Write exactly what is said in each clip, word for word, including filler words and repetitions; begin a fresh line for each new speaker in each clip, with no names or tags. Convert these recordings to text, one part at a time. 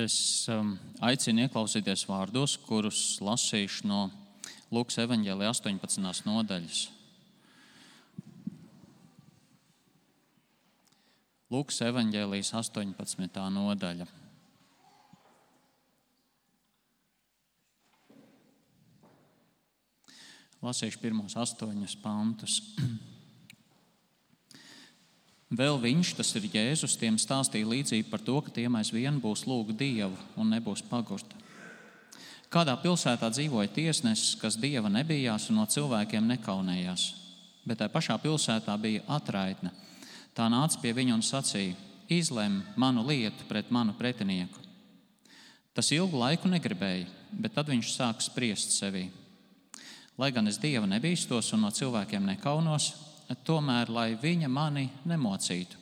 Es um, aicinu ieklausīties vārdos, kurus lasīšu no Lūkas evaņģēlija astoņpadsmitās nodaļas. Lūkas evaņģēlijas astoņpadsmitā nodaļa. Lasīšu pirmos astoņus pantus. Vēl viņš, tas ir Jēzus, tiem stāstīja līdzību par to, ka tiem aizvien būs lūgt Dievu un nebūs pagurta. Kādā pilsētā dzīvoja tiesnesis, kas Dieva nebijās un no cilvēkiem nekaunējās, bet tai pašā pilsētā bija atraitne. Tā nāca pie viņa un sacīja: izlem manu lietu pret manu pretinieku. Tas ilgu laiku negribēja, bet tad viņš sāka spriest sevī. Lai gan es Dieva nebīstos un no cilvēkiem nekaunos, tomēr, lai viņa mani nemocītu.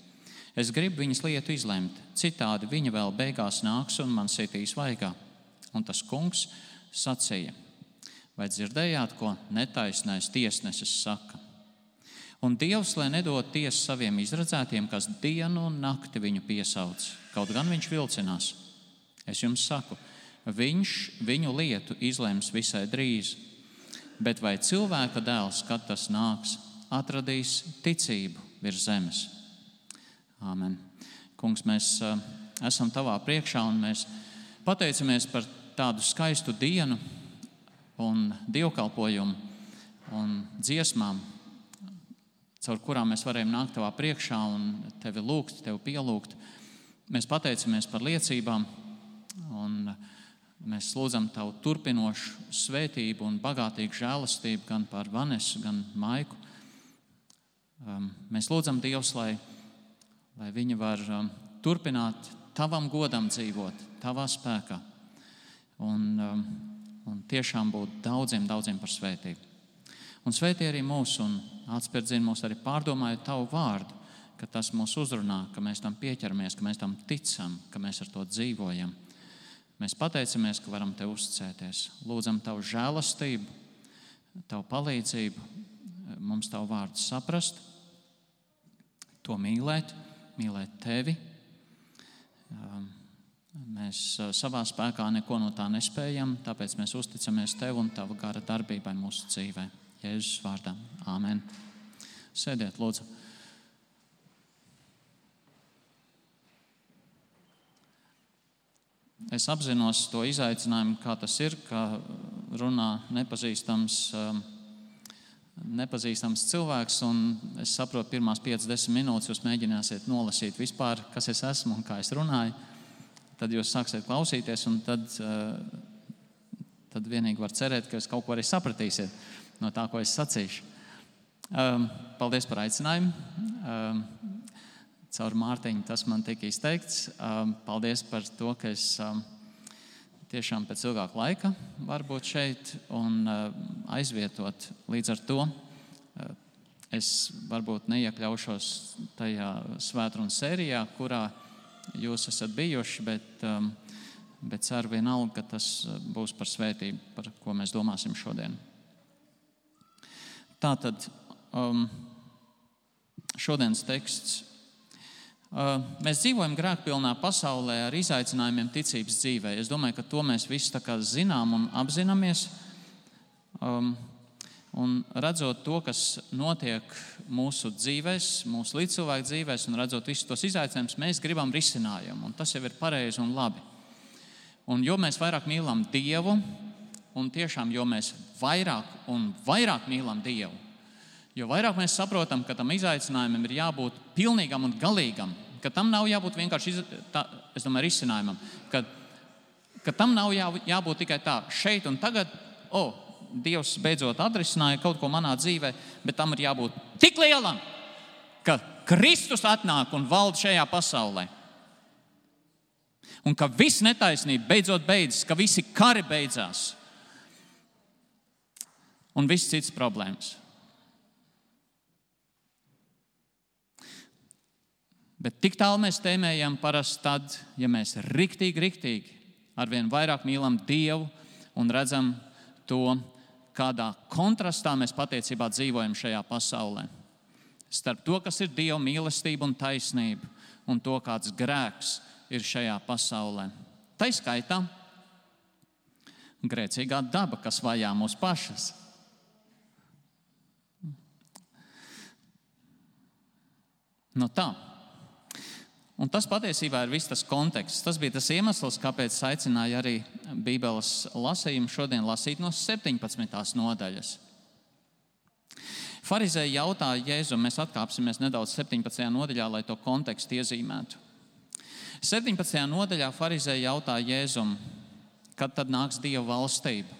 Es gribu viņas lietu izlemt, citādi viņa vēl beigās nāks un man sitīs vaigā. Un tas kungs sacīja: vai dzirdējāt, ko netaisnais tiesnesis saka? Un Dievs, lai nedod tiesu saviem izredzētiem, kas dienu un nakti viņu piesauc, kaut gan viņš vilcinās. Es jums saku, viņš viņu lietu izlems visai drīz. Bet vai cilvēka dēls, kad tas nāks, atradīs ticību virs zemes? Āmen. Kungs, mēs uh, esam tavā priekšā un mēs pateicamies par tādu skaistu dienu un dievkalpojumu un dziesmām, caur kurām mēs varējām nākt tavā priekšā un tevi lūgt, tevi pielūgt. Mēs pateicamies par liecībām un mēs lūdzam tavu turpinošu svētību un bagātīgu žēlastību gan par Vanesu, gan Maiku. Um, mēs lūdzam Dievs, lai, lai viņi var um, turpināt tavam godam dzīvot, tavā spēkā un, um, un tiešām būt daudziem, daudziem par svētību. Un svētī arī mūs un atspērdzina mūs arī pārdomājot tavu vārdu, ka tas mūs uzrunā, ka mēs tam pieķeramies, ka mēs tam ticam, ka mēs ar to dzīvojam. Mēs pateicamies, ka varam tev uzticēties. Lūdzam tavu žēlastību, tavu palīdzību, mums tavu vārdu saprast, to mīlēt, mīlēt tevi. Mēs savā spēkā neko no tā nespējam, tāpēc mēs uzticamies tev un tava gara darbībai mūsu dzīvē. Jēzus vārdā. Āmen. Sēdiet, lūdzu. Es apzinos to izaicinājumu, kā tas ir, ka runā nepazīstams nepazīstams cilvēks, un es saprotu, pirmās piecas desmit minūtes jūs mēģināsiet nolasīt vispār, kas es esmu un kā es runāju. Tad jūs sāksiet klausīties, un tad, tad vienīgi var cerēt, ka jūs kaut ko arī sapratīsiet no tā, ko es sacīšu. Paldies par aicinājumu. Caur Mārtiņu tas man tika izteikts. Paldies par to, ka es tiešām pēc ilgāka laika var būt šeit un aizvietot. Līdz ar to es varbūt neiekļaušos tajā svētrunas sērijā, kurā jūs esat bijuši, bet, bet ceru vienalga, ka tas būs par svētību, par ko mēs domāsim šodien. Tātad šodienas teksts. Mēs dzīvojam grēkpilnā pasaulē ar izaicinājumiem ticības dzīvē. Es domāju, ka to mēs visi tā kā zinām un apzināmies. Um, un redzot to, kas notiek mūsu dzīvēs, mūsu līdzcilvēku dzīvēs, un redzot visus tos izaicinājumus, mēs gribam risinājumu. Un tas jau ir pareizi un labi. Un jo mēs vairāk mīlam Dievu, un tiešām jo mēs vairāk un vairāk mīlam Dievu, jo vairāk mēs saprotam, ka tam izaicinājumam ir jābūt pilnīgam un galīgam, ka tam nav jābūt vienkārši tā, es domāju, risinājumam, ka, ka tam nav jā, jābūt tikai tā, šeit un tagad, o, oh, Dievs beidzot atrisināja kaut ko manā dzīvē, bet tam ir jābūt tik lielam, ka Kristus atnāk un valda šajā pasaulē. Un ka viss netaisnība beidzot beidzas, ka visi kari beidzās un viss cits problēmas. Bet tik tālu mēs tēmējam parasti tad, ja mēs riktīgi, riktīgi arvien vairāk mīlam Dievu un redzam to, kādā kontrastā mēs patiecībā dzīvojam šajā pasaulē. Starp to, kas ir Dieva mīlestība un taisnība, un to, kāds grēks ir šajā pasaulē. Tai skaitā grēcīgā daba, kas vajā mūs pašas. Nu tā. Un tas patiesībā ir viss tas konteksts. Tas bija tas iemesls, kāpēc es aicināju arī Bībeles lasījumu šodien lasīt no septiņpadsmitās nodaļas. Farizēji jautāja Jēzum, mēs atkāpsimies nedaudz septiņpadsmitajā nodaļā, lai to kontekstu iezīmētu. septiņpadsmitajā nodaļā farizēji jautāja Jēzum, kad tad nāks Dieva valstība?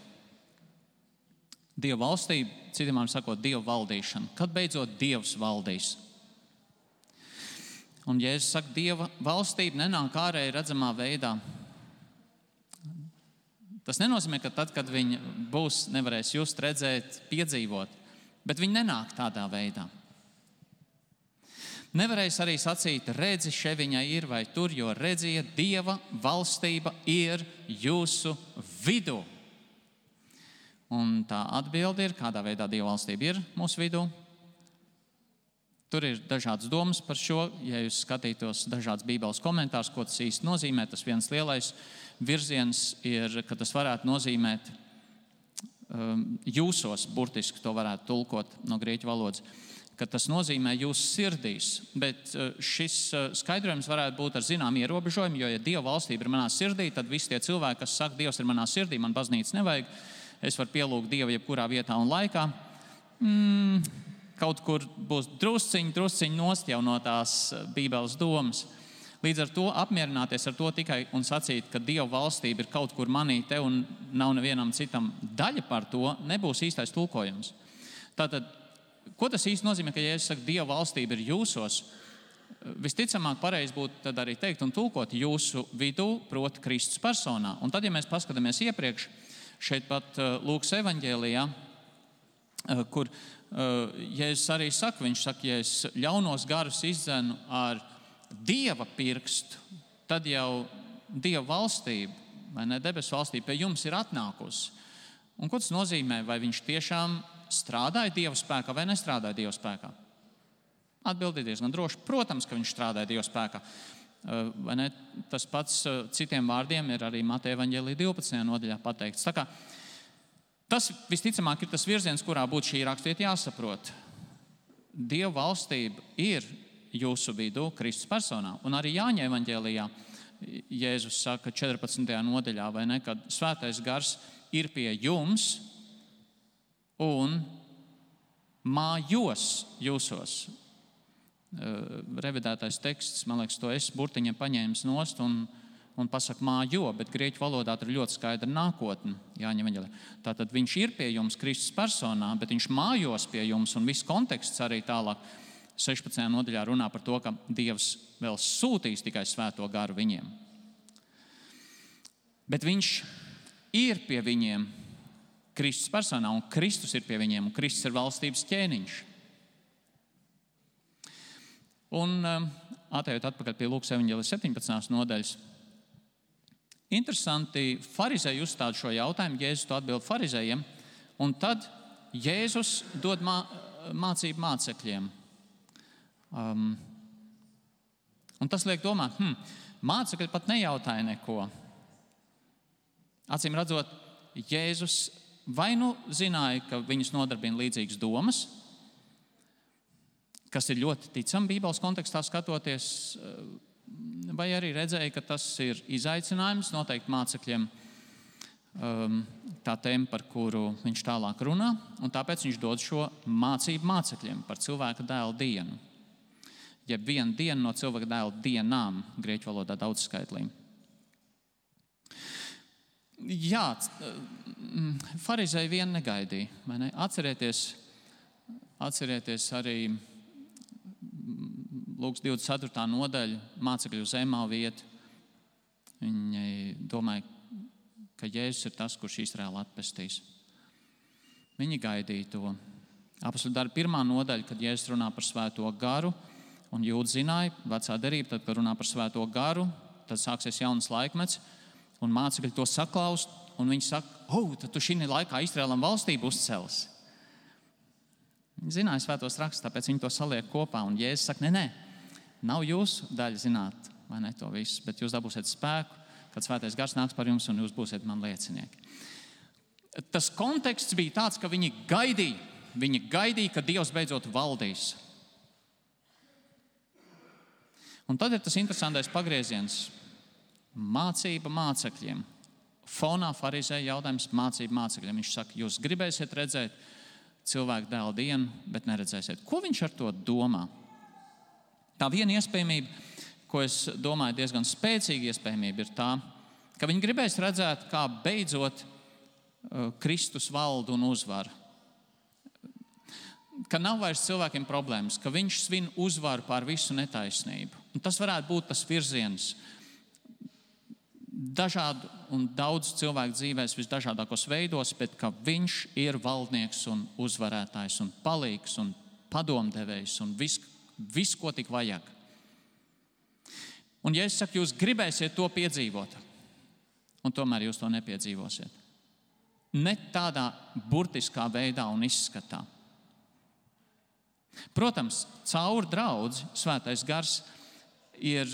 Dieva valstība, citiem vārdiem sakot, Dieva valdīšana. Kad beidzot Dievs valdīs? Un Jēzus saka, Dieva valstība nenāk ārēji redzamā veidā. Tas nenozīmē, ka tad, kad viņa būs, nevarēs just, redzēt, piedzīvot, bet viņa nenāk tādā veidā. Nevarēs arī sacīt, redzi, še viņa ir vai tur, jo redziet, Dieva valstība ir jūsu vidū. Un tā atbilde ir, kādā veidā Dieva valstība ir mūsu vidū. Tur ir dažādas domas par šo. Ja jūs skatītos dažādas Bībeles komentārus, ko tas īsti nozīmē, tas viens lielais virziens ir, ka tas varētu nozīmēt um, jūsos, burtiski to varētu tulkot no grieķu valodas, ka tas nozīmē jūsu sirdīs. Bet šis skaidrojums varētu būt ar zinām ierobežojumu, jo, ja Dieva valstība ir manā sirdī, tad visi tie cilvēki, kas saka, Dievs ir manā sirdī, man baznīcas nevajag, es varu pielūgt Dievu jebkurā vietā un laikā. Mm, kaut kur būs drusciņi, drusciņi nost jau no tās Bībeles domas. Līdz ar to apmierināties ar to tikai un sacīt, ka Dieva valstība ir kaut kur manī te un nav nevienam citam daļa par to, nebūs īstais tulkojums. Tātad, ko tas īsti nozīmē, ka, ja es saku, Dieva valstība ir jūsos, visticamāk pareizi būtu tad arī teikt un tulkot jūsu vidū, proti Kristus personā. Un tad, ja mēs paskatāmies iepriekš, šeit pat Lūkas evaņģēlijā, kur Jēzus arī saka, viņš saka, ja es ļaunos garus izdzenu ar Dieva pirkstu, tad jau Dieva valstība, vai ne, debesu valstība pie jums ir atnākusi. Un ko tas nozīmē? Vai viņš tiešām strādāja Dieva spēkā vai nestrādāja Dieva spēkā? Atbildi diezgan droši. Protams, ka viņš strādāja Dieva spēkā. Vai ne? Tas pats citiem vārdiem ir arī Mateja evaņģēlija divpadsmitajā nodaļā pateikts. Tā kā tas visticamāk ir tas virziens, kurā būtu šī rakstiet jāsaprot. Dieva valstība ir jūsu vidū Kristus personā. Un arī Jāņa evaņģēlijā Jēzus saka četrpadsmitajā nodaļā, vai ne, kad svētais gars ir pie jums un mājos jūsos. Revidētais teksts, man liekas, to es burtiņiem paņēmis nost un un pasaka mājo, bet grieķu valodā tur ļoti skaidra nākotne. Jāņa evaņģēlijā. Tātad viņš ir pie jums Kristus personā, bet viņš mājos pie jums, un viss konteksts arī tālāk sešpadsmitajā nodaļā runā par to, ka Dievs vēl sūtīs tikai svēto garu viņiem. Bet viņš ir pie viņiem Kristus personā, un Kristus ir pie viņiem, un Kristus ir valstības ķēniņš. Un atejot atpakaļ pie Lūkas evaņģēlijas septiņpadsmitās nodaļas, interesanti, farizēji uzstāda šo jautājumu, Jēzus to atbild farizējiem, un tad Jēzus dod mā, mācību mācekļiem. Um, un tas liek domāt, hm, mācekļi pat nejautāja neko. Acīm redzot, Jēzus vai nu zināja, ka viņus nodarbina līdzīgas domas, kas ir ļoti ticami Bībeles kontekstā skatoties, vai arī redzēja, ka tas ir izaicinājums noteikti mācekļiem, tā tēma, par kuru viņš tālāk runā, un tāpēc viņš dod šo mācību mācekļiem par cilvēka dēla dienu. Jeb viena diena no cilvēka dēla dienām, grieķu valodā daudzskaitlī. Jā, farizēji vien negaidīja, vai ne? Atcerieties, atcerieties arī Lūkas divdesmit ceturtā nodaļa, mācekļu uz Emau vietu. Viņi domāja, ka Jēzus ir tas, kurš Izraēlu atpestīs. Viņi gaidīja to. Apostļu darbu pirmā nodaļa, kad Jēzus runā par svēto garu, un jūdi zināja, vecā derība, tad, kad runā par svēto garu, tad sāksies jauns laikmets, un mācekļi to saklaust, un viņi saka, oh, tad tu šī laikā Izraēlam valstību uzcels. Viņi zināja svētos rakstus, tāpēc viņi to saliek kopā, un Jēzus saka, nē, nē, nav jūsu daļa zināt, vai ne to visu, bet jūs dabūsiet spēku, kad Svētais Gars nāks par jums un jūs būsiet man liecinieki. Tas konteksts bija tāds, ka viņi gaidīja, viņi gaidīja, ka Dievs beidzot valdīs. Un tad ir tas interesantais pagrieziens. Mācība mācekļiem. Fonā farizēja jautājums mācība mācekļiem. Viņš saka, jūs gribēsiet redzēt cilvēku dēla dienu, bet neredzēsiet. Ko viņš ar to domā? Tā viena iespējamība, ko es domāju diezgan spēcīga iespējamība, ir tā, ka viņi gribēs redzēt, kā beidzot uh, Kristus valdu un uzvaru. Ka nav vairs cilvēkiem problēmas, ka viņš svin uzvaru pār visu netaisnību. Un tas varētu būt tas virziens dažādu un daudz cilvēku dzīvēs visdažādākos veidos, bet ka viņš ir valdnieks un uzvarētājs un palīgs un padomdevējs un viss, vis, ko tik vajag. Un ja es saku, jūs gribēsiet to piedzīvot, un tomēr jūs to nepiedzīvosiet. Ne tādā burtiskā veidā un izskatā. Protams, caur draudzi Svētais Gars ir,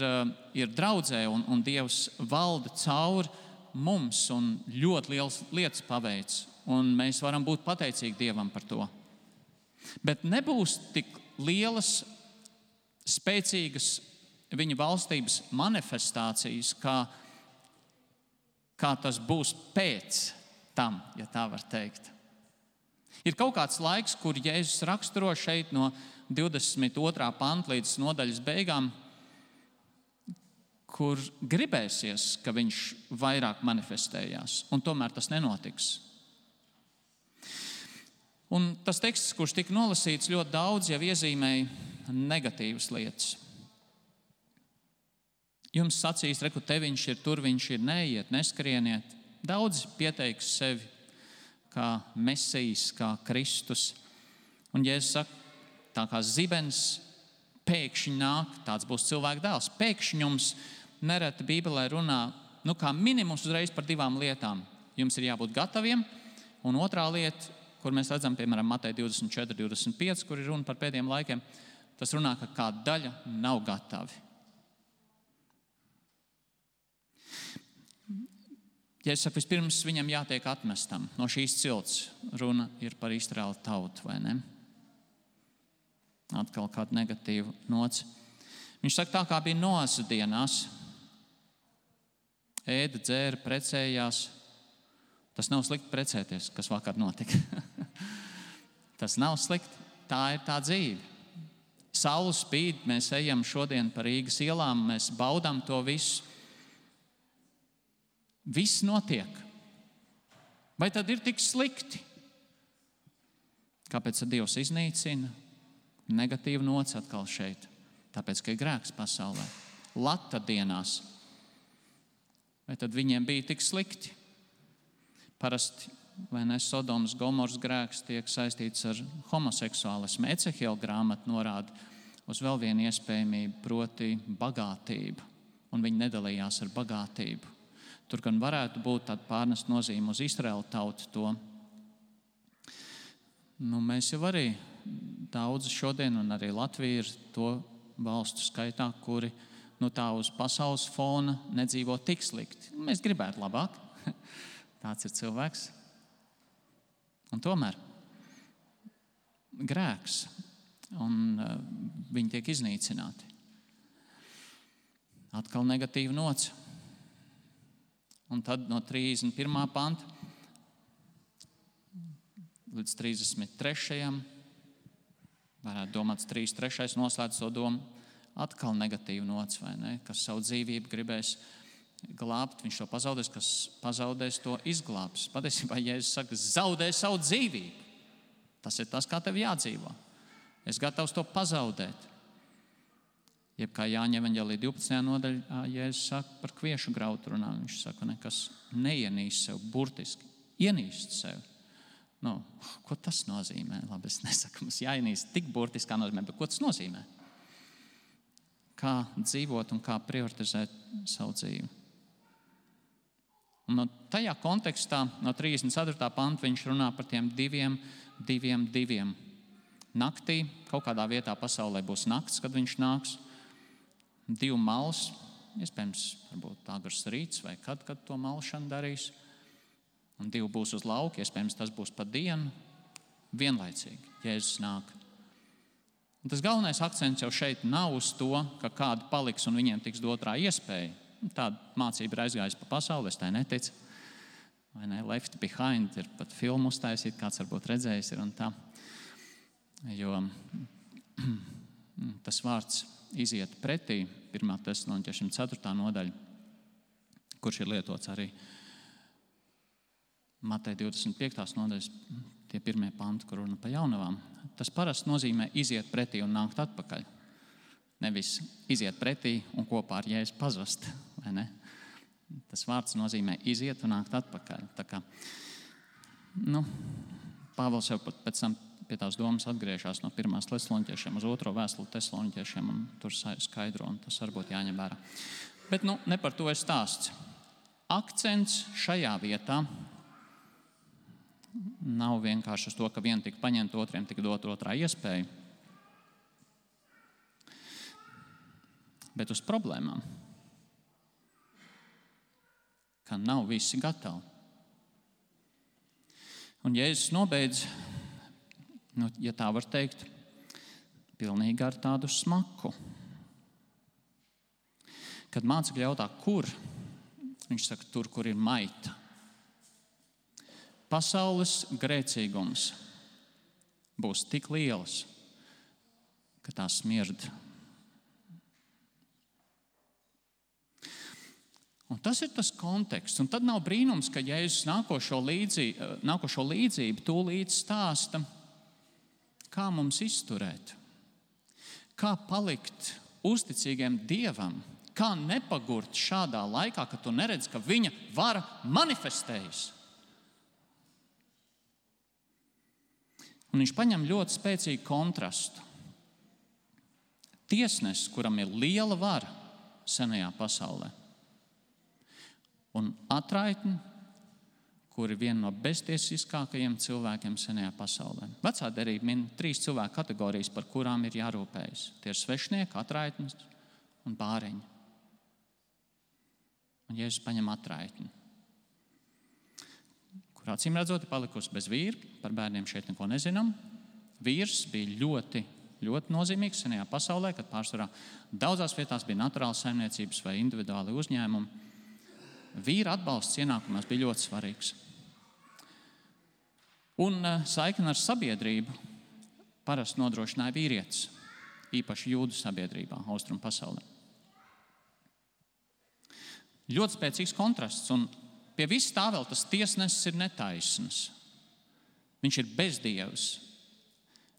ir draudzē un, un Dievs valda caur mums un ļoti liels lietas paveic. Un mēs varam būt pateicīgi Dievam par to. Bet nebūs tik lielas, spēcīgas viņa valstības manifestācijas, kā, kā tas būs pēc tam, ja tā var teikt. Ir kaut kāds laiks, kur Jēzus raksturo šeit no divdesmit otrā panta līdz nodaļas beigām, kur gribēsies, ka viņš vairāk manifestējās, un tomēr tas nenotiks. Un tas teksts, kurš tika nolasīts, ļoti daudz jau iezīmēja negatīvas lietas. Jums sacīs, reku, te viņš ir, tur viņš ir, neiet, neskrieniet. Daudz pieteiks sevi kā Mesijs, kā Kristus. Un Jēzus saka, tā kā zibens pēkšņi nāk, tāds būs cilvēka dēls. Pēkšņi jums nereti Bībelē runā, nu kā minimums uzreiz par divām lietām. Jums ir jābūt gataviem, un otrā lieta, kur mēs redzam, piemēram, Mateja divdesmit četri, divdesmit pieci, kur ir runa par pēdējiem laikiem, tas runā, ka kāda daļa nav gatavi. Ja es saku, vispirms viņam jātiek atmestam no šīs cilts, runa ir par Izraēlu tautu, vai ne? Atkal kāda negatīva nots. Viņš saka, tā kā bija Noas dienās, ēda, dzēra, precējās. Tas nav slikti precēties, kas vakar notika. Tas nav slikti, tā ir tā dzīve. Saule spīd, mēs ejam šodien pa Rīgas ielām, mēs baudām to visu. Viss notiek. Vai tad ir tik slikti? Kāpēc tad Dievs iznīcina? Negatīva nots atkal šeit. Tāpēc, ka ir grēks pasaulē. Lata dienās. Vai tad viņiem bija tik slikti? Parasti, vai ne, Sodomas Gomoras grēks tiek saistīts ar homoseksuālismu. Ecehiela grāmata norāda uz vēl vienu iespējamību, proti bagātību. Un viņi nedalījās ar bagātību. Tur gan varētu būt tāda pārnest nozīme uz Izraēlu tautu to. Nu, mēs jau arī daudz šodien, un arī Latvija ir to valstu skaitā, kuri nu, tā uz pasaules fona nedzīvo tik slikti. Mēs gribētu labāk. Tāds ir cilvēks. Un tomēr grēks, un uh, viņi tiek iznīcināti. Atkal negatīva nots. Un tad no trīsdesmit pirmā panta līdz trīsdesmit trešajam varētu domāt, trīsdesmit trešais noslēdz to domu, atkal negatīva nots, vai ne? Kas savu dzīvību gribēs glābt, viņš to pazaudēs, kas pazaudēs, to izglābs. Patiesībā, ja es saku, zaudē savu dzīvību, tas ir tas, kā tev jādzīvo. Es gatavs to pazaudēt. Jeb kā Jāņa evaņģēlija divpadsmitajā nodaļā, Jēzus saka par kviešu graudu runā, viņš saka, nekas neienīst sev, burtiski, ienīst sev. Nu, ko tas nozīmē? Labi, es nesaku, mums jāienīst tik burtiskā nozīmē, bet ko tas nozīmē? Kā dzīvot un kā prioritizēt savu dzīvi. Un no tajā kontekstā, no trīsdesmit ceturtā panta, viņš runā par tiem diviem, diviem, diviem. Naktī, kaut kādā vietā pasaulē būs nakts, kad viņš nāks. Divu malas, iespējams, varbūt agrs rīts vai kad, kad to malšanu darīs. Un divi būs uz lauka, iespējams, tas būs pa dienu, vienlaicīgi Jēzus nāk. Un tas galvenais akcents jau šeit nav uz to, ka kādi paliks un viņiem tiks dotrā iespēja. Tāda mācība ir aizgājusi pa pasauli, es tai neticu. Vai ne? Left Behind ir pat filmu uztaisīt, kāds varbūt redzējis ir un tā. Jo tas vārds iziet pretī, pirmā Tesaloniķiešiem ceturtā nodaļa, kurš ir lietots arī Mateja divdesmit piektās nodaļas, tie pirmie panti, kur runa pa jaunavām. Tas parasti nozīmē iziet pretī un nākt atpakaļ. Nevis iziet pretī un kopā ar Jēzu pazust, vai ne? Tas vārds nozīmē iziet un nākt atpakaļ. Tā kā, nu, Pāvils jau pēc tam pie tās domas atgriežās no pirmās Tesaloniķiešiem uz otro vēstuli Tesaloniķiešiem un tur skaidro, un tas varbūt jāņem vērā. Bet, nu, ne par to ir stāsts. Akcents šajā vietā nav vienkārši uz to, ka vien tika paņemt, otriem tika dot otrā iespēja, bet uz problēmām, ka nav visi gatavi. Un Jēzus nobeidz, nu, ja tā var teikt, pilnīgi ar tādu smaku. Kad mācekļi jautā, kur, viņš saka, tur, kur ir maita. Pasaules grēcīgums būs tik liels, ka tā smird. Un tas ir tas konteksts. Un tad nav brīnums, ka Jēzus nākošo līdzību, nākošo līdzību tūlīt stāsta, kā mums izturēt, kā palikt uzticīgiem Dievam, kā nepagurt šādā laikā, kad tu neredz, ka viņa vara manifestējas. Un viņš paņem ļoti spēcīgu kontrastu. Tiesnesis, kuram ir liela vara senajā pasaulē, un atraitni, kur ir viena no beztiesiskākajiem cilvēkiem senajā pasaulē. Vecā derība min trīs cilvēku kategorijas, par kurām ir jārūpējas. Tie ir svešnieki, atraitnis un bāreņi. Un Jēzus paņem atraitni, kur acīm redzot ir palikusi bez vīra. Par bērniem šeit neko nezinām. Vīrs bija ļoti, ļoti nozīmīgs senajā pasaulē, kad pārsvarā daudzās vietās bija naturāla saimniecības vai individuāli uzņēmumi. Vīra atbalsts ienākumās bija ļoti svarīgs. Un saikni ar sabiedrību parasti nodrošināja vīrietis, īpaši jūdu sabiedrībā, austrumu pasaulē. Ļoti spēcīgs kontrasts, un pie vis tā vēl tas tiesnesis ir netaisns. Viņš ir bezdievs,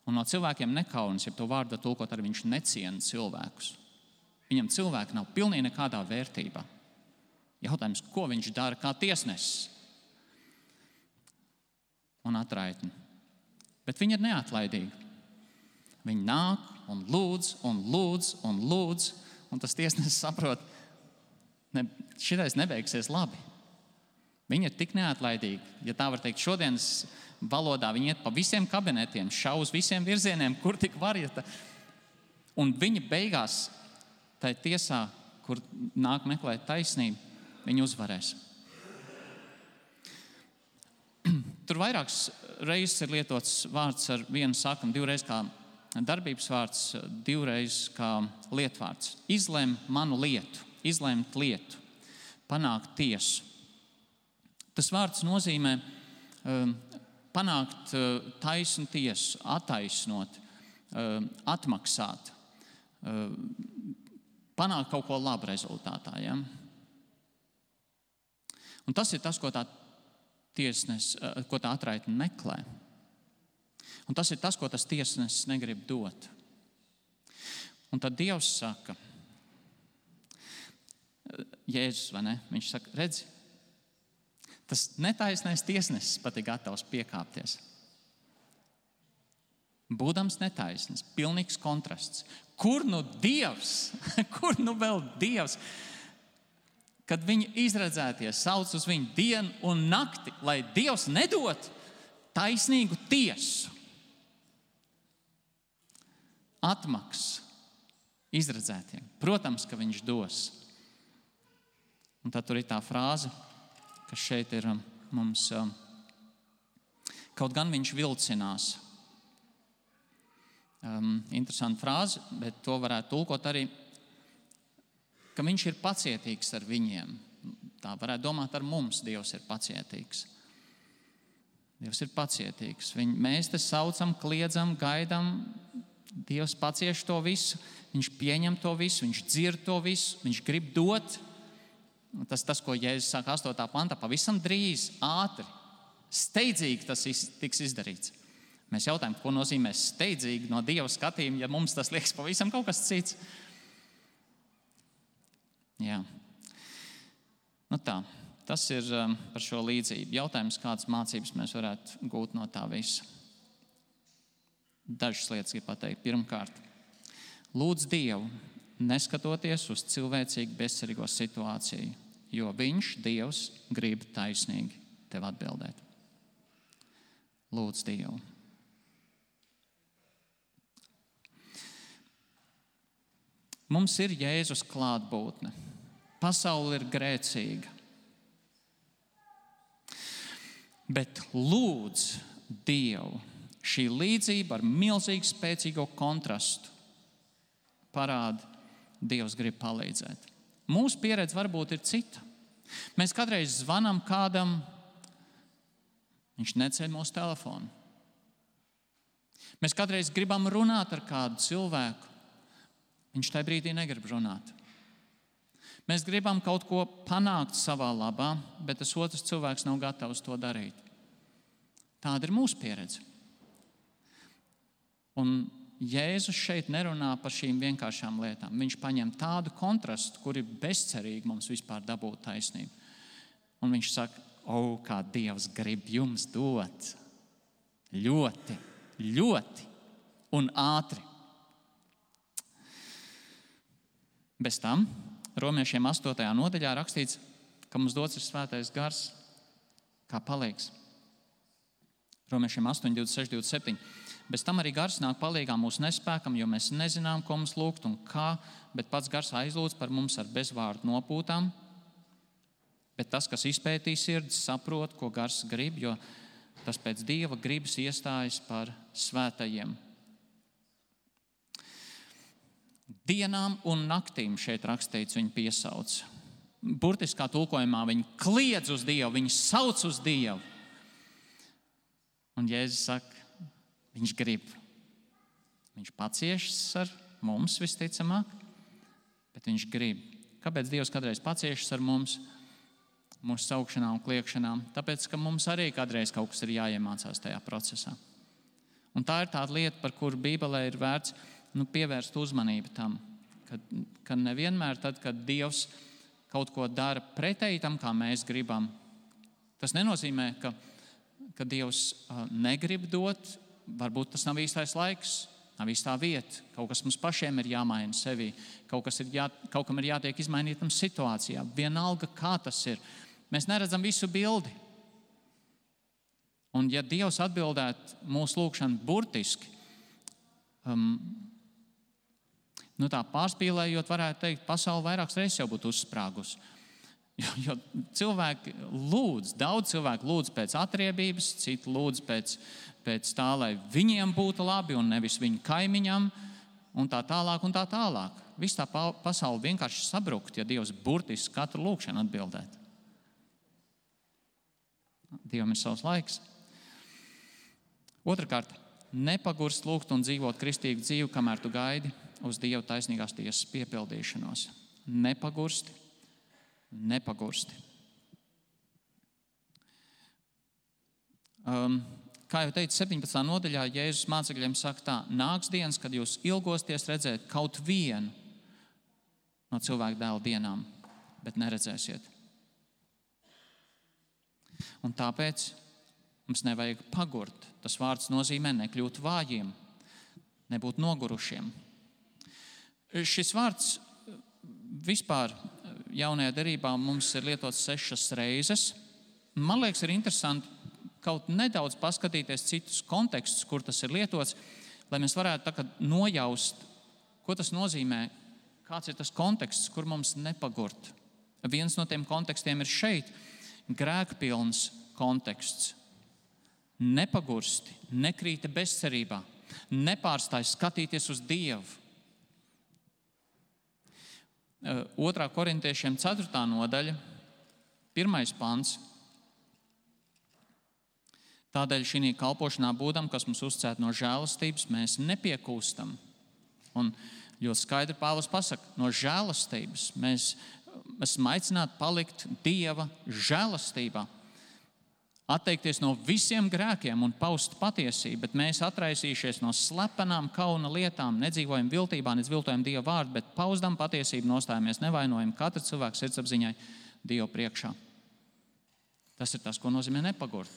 un no cilvēkiem nekaunas, ja to vārdu tulkot, arī viņš neciena cilvēkus. Viņam cilvēki nav pilnīgi nekādā vērtībā. Jautājums, ko viņš dara kā tiesnesis un atraitni. Bet viņi ir neatlaidīgi. Viņi nāk un lūdz, un lūdz, un lūdz, un tas tiesnesis saprot, ne, šitais nebeigsies labi. Viņi ir tik neatlaidīgi. Ja tā var teikt, šodienas valodā viņi iet pa visiem kabinetiem, šauz visiem virzieniem, kur tik var iet. Un viņi beigās tai tiesā, kur nāk meklēt taisnību, viņi uzvarēs. Tur vairākas reizes ir lietots vārds ar vienu sakam, divreiz kā darbības vārds, divreiz kā lietvārds. Izlem manu lietu, izlemt lietu, panākt tiesu. Tas vārds nozīmē um, panākt uh, taisnu tiesu, attaisnot, uh, atmaksāt, uh, panākt kaut ko labu rezultātā. Ja? Un tas ir tas, ko tā tiesnes, ko tā atraitne meklē. Un tas ir tas, ko tas tiesnesis negrib dot. Un tad Dievs saka, Jēzus, vai ne? Viņš saka, redzi, tas netaisnais tiesnesis pat ir gatavs piekāpties. Būdams netaisns, pilnīgs kontrasts. Kur nu Dievs? Kur nu vēl Dievs? Kad viņi izredzētie sauc uz viņu dienu un nakti, lai Dievs nedod taisnīgu tiesu. Atmaks izredzētiem. Protams, ka viņš dos. Un tad tur ir tā frāze, kas šeit ir mums, kaut gan viņš vilcinās. Um, interesanta frāze, bet to varētu tulkot arī, ka viņš ir pacietīgs ar viņiem. Tā varētu domāt, ar mums Dievs ir pacietīgs. Dievs ir pacietīgs. Viņ, mēs te saucam, kliedzam, gaidam. Dievs pacieš to visu. Viņš pieņem to visu, viņš dzird to visu, viņš grib dot. Tas, tas ko Jēzus saka astotā pantā, pavisam drīz, ātri, steidzīgi tas tiks izdarīts. Mēs jautājam, ko nozīmē steidzīgi no Dieva skatījuma, ja mums tas liekas pavisam kaut kas cits. Jā. Nu tā, tas ir um, par šo līdzību. Jautājums, kādas mācības mēs varētu gūt no tā visa. Dažas lietas gribu pateikt. Pirmkārt, lūdz Dievu, neskatoties uz cilvēcīgu bezcerīgo situāciju, jo viņš, Dievs, grib taisnīgi tev atbildēt. Lūdz Dievu. Mums ir Jēzus klātbūtne. Pasaule ir grēcīga. Bet lūdz Dievu. Šī līdzība ar milzīgu spēcīgo kontrastu parāda, Dievs grib palīdzēt. Mūsu pieredze varbūt ir cita. Mēs kādreiz zvanam kādam, viņš neceļ mūsu telefonu. Mēs kādreiz gribam runāt ar kādu cilvēku, viņš tajā brīdī negrib runāt. Mēs gribam kaut ko panākt savā labā, bet tas otrs cilvēks nav gatavs to darīt. Tāda ir mūsu pieredze. Un Jēzus šeit nerunā par šīm vienkāršām lietām. Viņš paņem tādu kontrastu, kur ir bezcerīgi mums vispār dabūt taisnību. Un viņš saka, o, kā Dievs grib jums dot. Ļoti, ļoti un ātri. Bez tam Romiešiem astotajā nodaļā rakstīts, ka mums dots ir svētais gars kā palīgs. Romiešiem astoņi, divdesmit seši, divdesmit septiņi. Bez tam arī gars nāk palīgā mūsu nespēkam, jo mēs nezinām, ko mums lūgt un kā, bet pats gars aizlūdz par mums ar bezvārdu nopūtām. Bet tas, kas izpētī sirdis, saprot, ko gars grib, jo tas pēc Dieva gribas iestājas par svētajiem. Dienām un naktīm šeit rakstīts, viņi piesauc. Burtiskā tulkojumā viņi kliedz uz Dievu, viņi sauc uz Dievu. Un Jēzus saka, viņš grib. Viņš paciešas ar mums visticamāk, bet viņš grib. Kāpēc Dievs kādreiz paciešas ar mums, mūsu saukšanām un kliekšanām? Tāpēc, ka mums arī kādreiz kaut kas ir jāiemācās tajā procesā. Un tā ir tāda lieta, par kuru Bībelē ir vērts nu, pievērst uzmanību tam, ka, ka nevienmēr tad, kad Dievs kaut ko dara pretēji tam, kā mēs gribam, tas nenozīmē, ka, ka Dievs uh, negrib dot. Varbūt tas nav īstais laiks, nav īstā vieta. Kaut kas mums pašiem ir jāmaina sevī. Kaut, kas ir jā, kaut kam ir jātiek izmainītam situācijā. Vienalga, kā tas ir. Mēs neredzam visu bildi. Un ja Dievs atbildētu mūsu lūgšanu burtiski, um, nu tā pārspīlējot, varētu teikt, pasaule vairākas reizes jau būtu uzsprāgusi. Jo, jo cilvēki lūdz, daudz cilvēku lūdz pēc atriebības, citi lūdz pēc, pēc tā, lai viņiem būtu labi un nevis viņu kaimiņam, un tā tālāk un tā tālāk. Viss tā pasaule vienkārši sabrukt, ja Dievs burtiski katru lūgšanu atbildētu. Dievam ir savs laiks. Otrakārt, nepagurst lūgt un dzīvot kristīgu dzīvi, kamēr tu gaidi uz Dieva taisnīgās tiesas piepildīšanos. Nepagursti. Nepagursti. Um, kā jau teicu, septiņpadsmitā nodaļā Jēzus mācekļiem saka tā, nāks dienas, kad jūs ilgosties redzēt kaut vienu no cilvēka dēla dienām, bet neredzēsiet. Un tāpēc mums nevajag pagurt. Tas vārds nozīmē nekļūt vājiem, nebūt nogurušiem. Šis vārds vispār jaunajā derībā mums ir lietots sešas reizes. Man liekas, ir interesanti kaut nedaudz paskatīties citus kontekstus, kur tas ir lietots, lai mēs varētu tā kā nojaust, ko tas nozīmē, kāds ir tas konteksts, kur mums nepagurt. Viens no tiem kontekstiem ir šeit grēkpilns konteksts. Nepagursti, nekrīta bezcerībā, nepārstāj skatīties uz Dievu. Otrā korintiešiem ceturtā nodaļa, pirmais pants. Tādēļ šī kalpošanā būdam, kas mums uzcēt no žēlastības, mēs nepiekūstam. Un ļoti skaidri Pāvils pasaka, no žēlastības mēs esam aicināti palikt Dieva žēlastībā. Atteikties no visiem grēkiem un paust patiesību, bet mēs atraisījušies no slepenām kauna lietām, nedzīvojam viltībā, neviltojam Dieva vārdu, bet paustam patiesību, nostājamies nevainojam katra cilvēka sirdsapziņai Dievu priekšā. Tas ir tas, ko nozīmē nepagurt.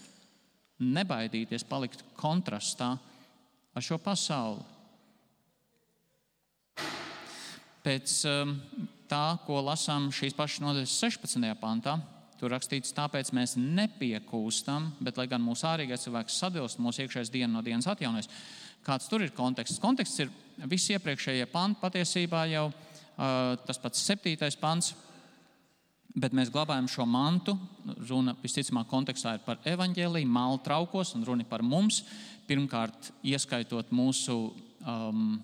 Nebaidīties palikt kontrastā ar šo pasauli. Pēc tā, ko lasām šīs pašas nodaļas sešpadsmitajā pantā, tur rakstīts, tāpēc mēs nepiekūstam, bet lai gan mūsu ārīgais cilvēks sadilst, mūsu iekšējais diena no dienas atjaunojas. Kāds tur ir konteksts? Konteksts ir visi iepriekšējie panti, patiesībā jau uh, tas pats septītais pants, bet mēs glabājam šo mantu. Runa visticamāk kontekstā ir par evaņģēliju, māla traukos, un runa par mums. Pirmkārt, ieskaitot mūsu um,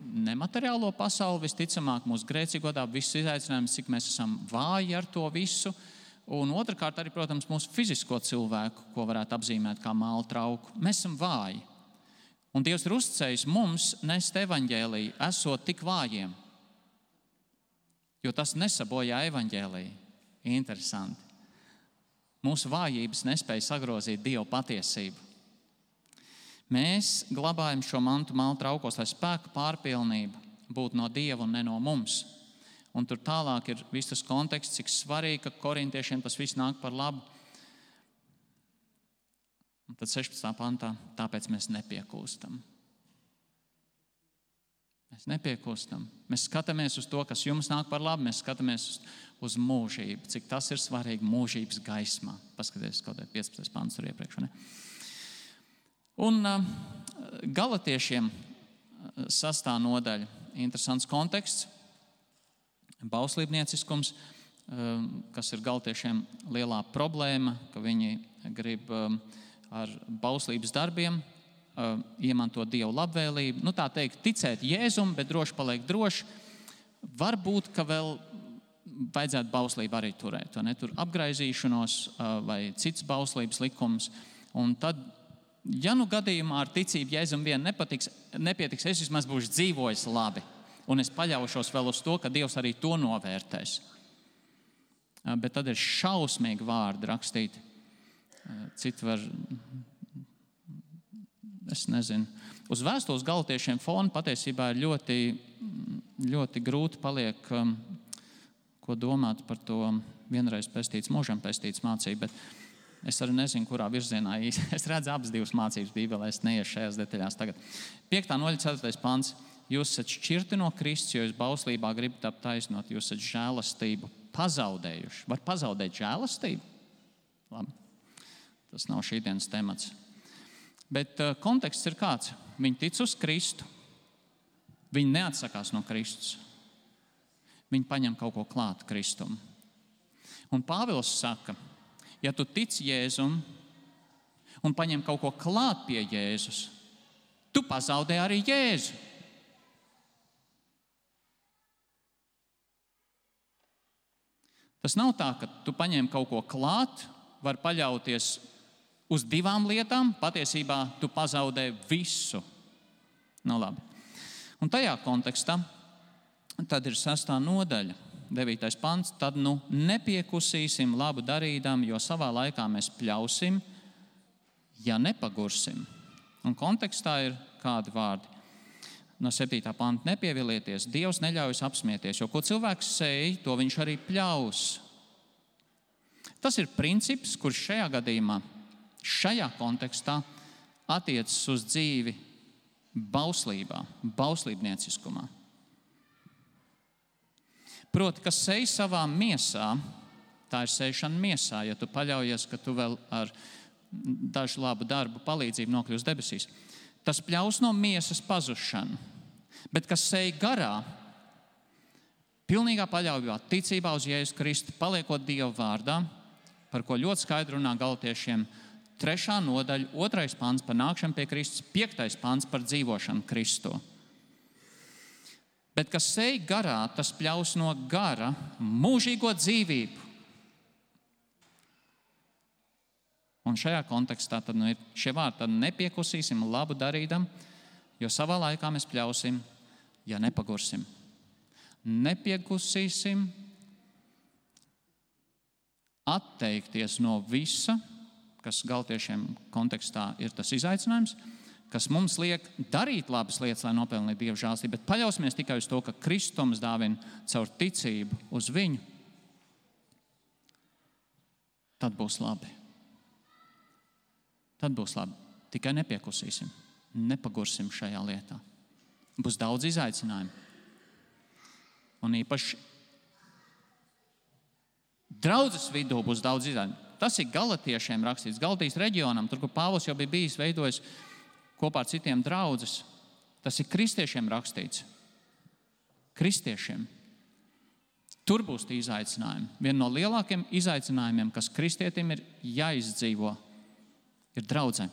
nemateriālo pasauli, visticamāk mūsu grēcīgo dabu, visus izaicinājumus, cik mēs esam vāji ar to visu. Un otrkārt arī, protams, mūsu fizisko cilvēku, ko varētu apzīmēt kā māla trauku. Mēs esam vāji. Un Dievs ir uzticējis mums nest evaņģēliju, esot tik vājiem. Jo tas nesabojā evaņģēliju. Interesanti. Mūsu vājības nespēja sagrozīt Dievu patiesību. Mēs glabājam šo mantu māla traukos, lai spēka pārpilnība būtu no Dieva un ne no mums. Un tur tālāk ir viss tas konteksts, cik svarīgi, ka korintiešiem tas viss nāk par labu. Un tad sešpadsmitā pantā, tāpēc mēs nepiekūstam. Mēs nepiekūstam. Mēs skatāmies uz to, kas jums nāk par labu, mēs skatāmies uz, uz mūžību, cik tas ir svarīgi mūžības gaismā. Paskaties, kaut kā piecpadsmitais pants tur iepriekš, ne? Un uh, galatiešiem sastā nodaļa, interesants konteksts, bauslībnieciskums, uh, kas ir galatiešiem lielā problēma, ka viņi grib uh, ar bauslības darbiem uh, iemantot Dievu labvēlību. Nu tā teikt, ticēt Jēzum, bet droši paliek droši. Varbūt, ka vēl vajadzētu bauslību arī turēt, vai ne? Tur apgraizīšanos uh, vai cits bauslības likums. Un tad ja nu gadījumā ar ticību Jēzum vien nepatiks, nepietiks, es vismaz būšu dzīvojis labi. Un es paļaušos vēl uz to, ka Dievs arī to novērtēs. Bet tad ir šausmīgi vārdi rakstīti. Citi var, es nezinu, uz vēstules galatiešiem fona patiesībā ir ļoti, ļoti grūti paliek, ko domāt par to vienreiz pestīts, mūžam pestīts mācību, bet es arī nezinu, kurā virzienā īsti. Es redzu abas divas mācības Bībelē, es neiešu šajās detaļās tagad. Piektā nodaļa, ceturtais pants. Jūs esat šķirti no Kristus, jo jūs bauslībā gribat aptaisnot, jūs esat žēlastību pazaudējuši. Var pazaudēt žēlastību? Labi. Tas nav šī dienas temats. Bet uh, konteksts ir kāds. Viņi tic uz Kristu. Viņi neatsakās no Kristus. Viņi paņem kaut ko klāt Kristum. Un Pāvils saka, ja tu tici Jēzum un paņem kaut ko klāt pie Jēzus, tu pazaudē arī Jēzu. Tas nav tā, ka tu paņem kaut ko klāt, var paļauties uz divām lietām, patiesībā tu pazaudē visu. Nu labi. Un tajā kontekstā tad ir sestā nodaļa. devītais pants, tad nu nepiekusīsim labu darīdam, jo savā laikā mēs pļausim, ja nepagursim. Un kontekstā ir kādi vārdi. No septītā panta nepievilieties, Dievs neļaujas apsmieties, jo ko cilvēks sēj, to viņš arī pļaus. Tas ir princips, kurš šajā gadījumā, šajā kontekstā attiecas uz dzīvi bauslībā, bauslībnieciskumā. Proti, kas sēj savā miesā, tā ir sēšana miesā, ja tu paļaujies, ka tu vēl ar dažu labu darbu palīdzību nokļūsi debesīs. Tas pļaus no miesas pazušanu, bet kas sēj garā, pilnīgā paļaujībā, ticībā uz Jēzu Kristu, paliekot Dieva vārdā, par ko ļoti skaidri runā Galatiešiem trešā nodaļa, otrais pants par nākšanu pie Kristus, piektais pants par dzīvošanu Kristu. Bet kas sej garā, tas pļaus no gara mūžīgo dzīvību. Un šajā kontekstā tad nu ir šie vārdi, tad nepiekusīsim labu darīdam, jo savā laikā mēs pļausim, ja nepagursim. Nepiekusīsim atteikties no visa, kas Galatiešiem kontekstā ir tas izaicinājums, kas mums liek darīt labas lietas, lai nopelnītu Dieva žēlstību, bet paļausimies tikai uz to, ka Kristus mums dāvina caur ticību uz viņu, tad būs labi. Tad būs labi. Tikai nepiekusīsim, nepagursim šajā lietā. Būs daudz izaicinājumu. Un īpaši draudzes vidū būs daudz izaicinājumu. Tas ir Galatiešiem rakstīts, Galatijas reģionam, tur, kur Pāvils jau bija bijis veidojis kopā ar citiem draudzes. Tas ir kristiešiem rakstīts. Kristiešiem. Tur būs tie izaicinājumi. Viena no lielākiem izaicinājumiem, kas kristietim ir jāizdzīvo, ir draudzē.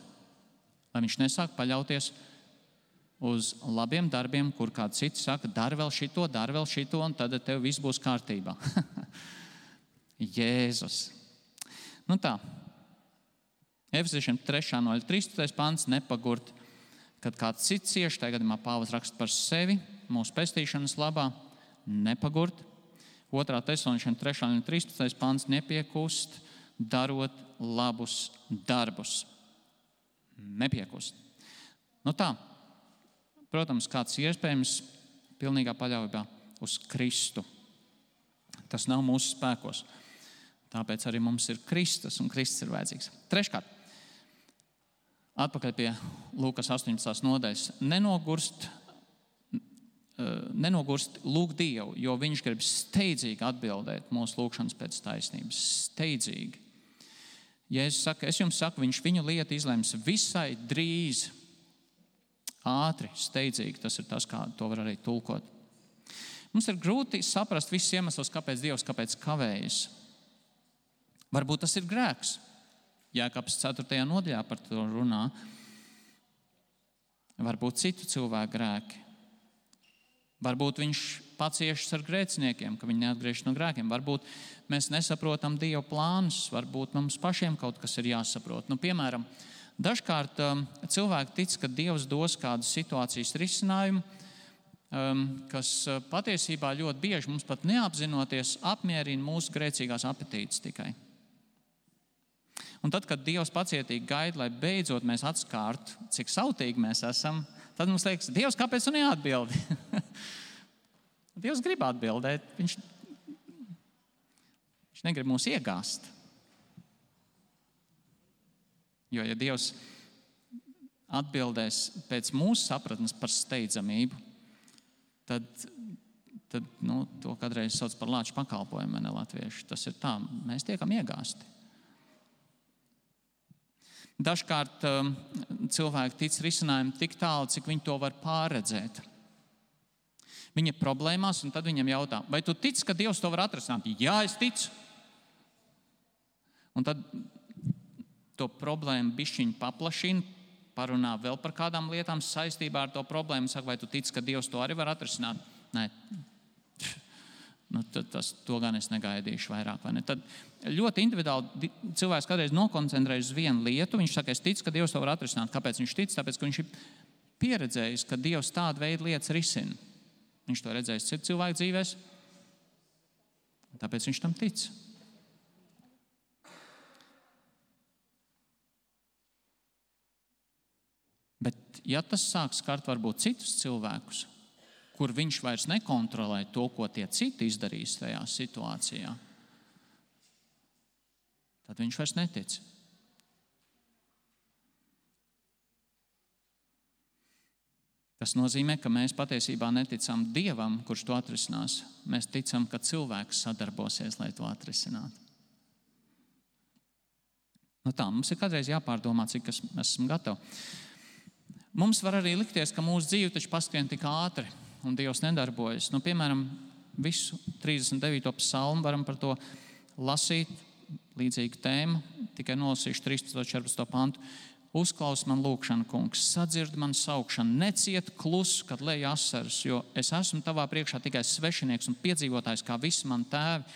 Lai viņš nesāk paļauties uz labiem darbiem, kur kāds cits saka, dari vēl šito, dari vēl šito, un tad tev viss būs kārtībā. Jēzus. Nu tā. Efeziešiem trešā nodaļa, trīspadsmitais pants, nepagurt, kad kāds cits cieš, tajā gadījumā Pāvils raksta par sevi, mūsu pestīšanas labā, nepagurt. Otrā Tesaloniešiem trešā nodaļa, trīspadsmitais pants, nepiekust, darot labus darbus. Nepiekust. Nu tā. Protams, kāds iespējams pilnīgā paļaujībā uz Kristu. Tas nav mūsu spēkos. Tāpēc arī mums ir Kristus, un Kristus ir vajadzīgs. Treškārt, atpakaļ pie Lūkas astoņpadsmitās nodaļas. Nenogurst, nenogurst lūgt Dievu, jo viņš grib steidzīgi atbildēt mūsu lūgšanas pēc taisnības. Steidzīgi. Jēzus saka, es jums saku, viņš viņu lietu izlems visai drīz, ātri, steidzīgi. Tas ir tas, kā to var arī tulkot. Mums ir grūti saprast visus iemeslus, kāpēc Dievs, kāpēc kavējas. Varbūt tas ir grēks. Jēkabs ceturtajā nodaļā par to runā. Varbūt citu cilvēku grēki. Varbūt viņš paciešas ar grēciniekiem, ka viņi neatgriežas no grēkiem. Varbūt mēs nesaprotam Dieva plānus. Varbūt mums pašiem kaut kas ir jāsaprot. Nu, piemēram, dažkārt um, cilvēki tic, ka Dievs dos kādu situācijas risinājumu, um, kas uh, patiesībā ļoti bieži mums pat neapzinoties apmierina mūsu grēcīgās apetītes tikai. Un tad, kad Dievs pacietīgi gaida, lai beidzot mēs atskārtu, cik sautīgi mēs esam, tad mums liekas, Dievs, kāpēc tu neatbildi? Dievs grib atbildēt, viņš, viņš negrib mūs iegāzt. Jo, ja Dievs atbildēs pēc mūsu sapratnes par steidzamību, tad, tad nu, to kādreiz sauc par lāču pakalpojumu, ne latvieši. Tas ir tā, mēs tiekam iegāsti. Dažkārt um, cilvēki tic risinājumu tik tālu, cik viņi to var pārredzēt. Viņi ir problēmās, un tad viņam jautā, vai tu tici, ka Dievs to var atrisināt? Jā, es ticu. Un tad to problēmu bišķiņu paplašina, parunā vēl par kādām lietām saistībā ar to problēmu. Saka, vai tu tici, ka Dievs to arī var atrisināt? Nē. Nu, tad tas, to gan es negaidīšu vairāk. Vai ne? Tad ļoti individuāli cilvēks kādreiz nokoncentrējas uz vienu lietu. Viņš saka, es ticu, ka Dievs to var atrisināt. Kāpēc viņš tic? Tāpēc, ka viņš ir pieredzējis, ka Dievs tādu veidu lietas risina. Viņš to redzējis citu cilvēku dzīvēs. Tāpēc viņš tam tic. Bet ja tas sāk skart varbūt citus cilvēkus, kur viņš vairs nekontrolē to, ko tie citi izdarīs tajā situācijā, tad viņš vairs netic. Tas nozīmē, ka mēs patiesībā neticam Dievam, kurš to atrisinās. Mēs ticam, ka cilvēks sadarbosies, lai to atrisinātu. Nu tā, mums ir kādreiz jāpārdomā, cik mēs esam gatavi. Mums var arī likties, ka mūsu dzīve taču paskrien tik ātri un Dievs nedarbojas. Nu, piemēram, visu trīsdesmit devīto psalmu varam par to lasīt, līdzīga tēma, tikai nolasīšu trīspadsmito četrpadsmito pantu. Uzklaus man lūgšanu, kungs, sadzird man saukšanu, neciet klusu, kad lej asaras, jo es esmu tavā priekšā tikai svešinieks un piedzīvotājs, kā visi man tēvi.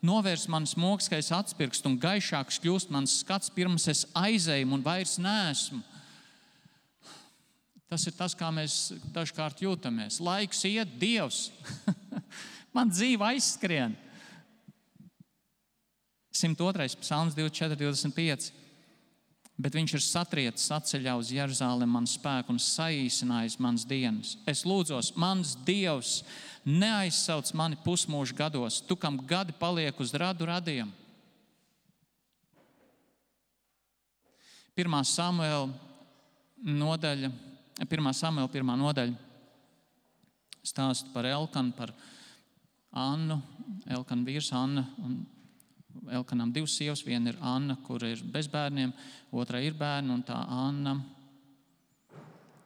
Novērs manas mokskais atspirkst un gaišāks kļūst mans skats, pirms es aizēju un vairs neesmu. Tas ir tas, kā mēs dažkārt jūtamies. Laiks iet, Dievs. Man dzīve aizskrien. simt otrais psalms divdesmit četri divdesmit pieci. Bet viņš ir satriecis atceļā uz Jeruzalemi man spēku un saīsinājis manas dienas. Es lūdzos, mans Dievs, neaizsauc mani pusmūžu gados, tu, kam gadi paliek uz radu radiem. Pirmā Samuela nodaļa, pirmā Samuela pirmā nodaļa stāsta par Elkanu, par Annu, Elkana vīrs Anna, un Elkanam divas sievas, viena ir Anna, kur ir bez bērniem, otra ir bērni, un tā Anna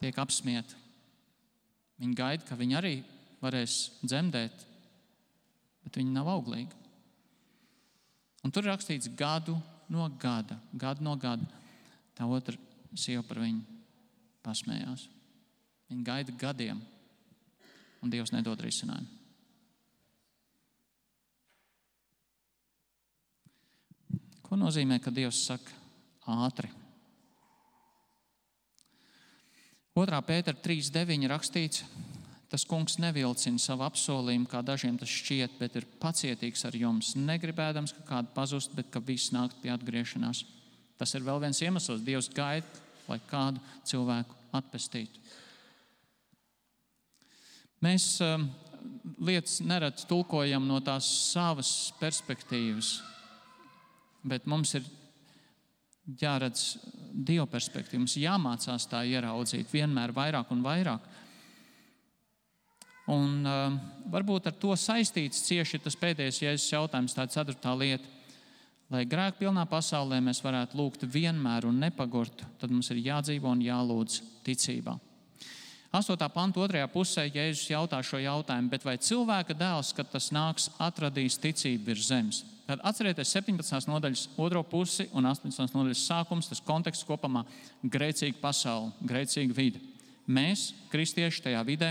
tiek apsmieta. Viņa gaida, ka viņa arī varēs dzemdēt, bet viņa nav auglīga. Un tur ir rakstīts gadu no gada, gadu no gada. Tā otra sieva par viņu pasmējās. Viņa gaida gadiem, un Dievs nedod risinājumu. Ko nozīmē, ka Dievs saka ātri? otrā Pētera trīs deviņi rakstīts, tas kungs nevilcina savu apsolījumu, kā dažiem tas šķiet, bet ir pacietīgs ar jums, negribēdams, ka kādu pazust, bet ka viss nākt pie atgriešanās. Tas ir vēl viens iemesls. Dievs gaida, lai kādu cilvēku atpestītu. Mēs um, lietas nerad tulkojam no tās savas perspektīvas, bet mums ir jāredz Dieva perspektīva. Mums jāmācās tā ieraudzīt vienmēr vairāk un vairāk. Un uh, varbūt ar to saistīts cieši tas pēdējais Jēzus jautājums, tā ceturtā lieta. Lai grēkpilnā pasaulē mēs varētu lūgt vienmēr un nepagurt, tad mums ir jādzīvo un jālūdz ticībā. astotā panta otrajā pusē Jēzus jautā šo jautājumu, bet vai cilvēka dēls, kad tas nāks, atradīs ticību virs zemes? Tad atcerieties septiņpadsmitās nodaļas otro pusi un astoņpadsmitās nodaļas sākums, tas konteksts kopumā grēcīga pasaule, grēcīga vide. Mēs, kristieši tajā vidē,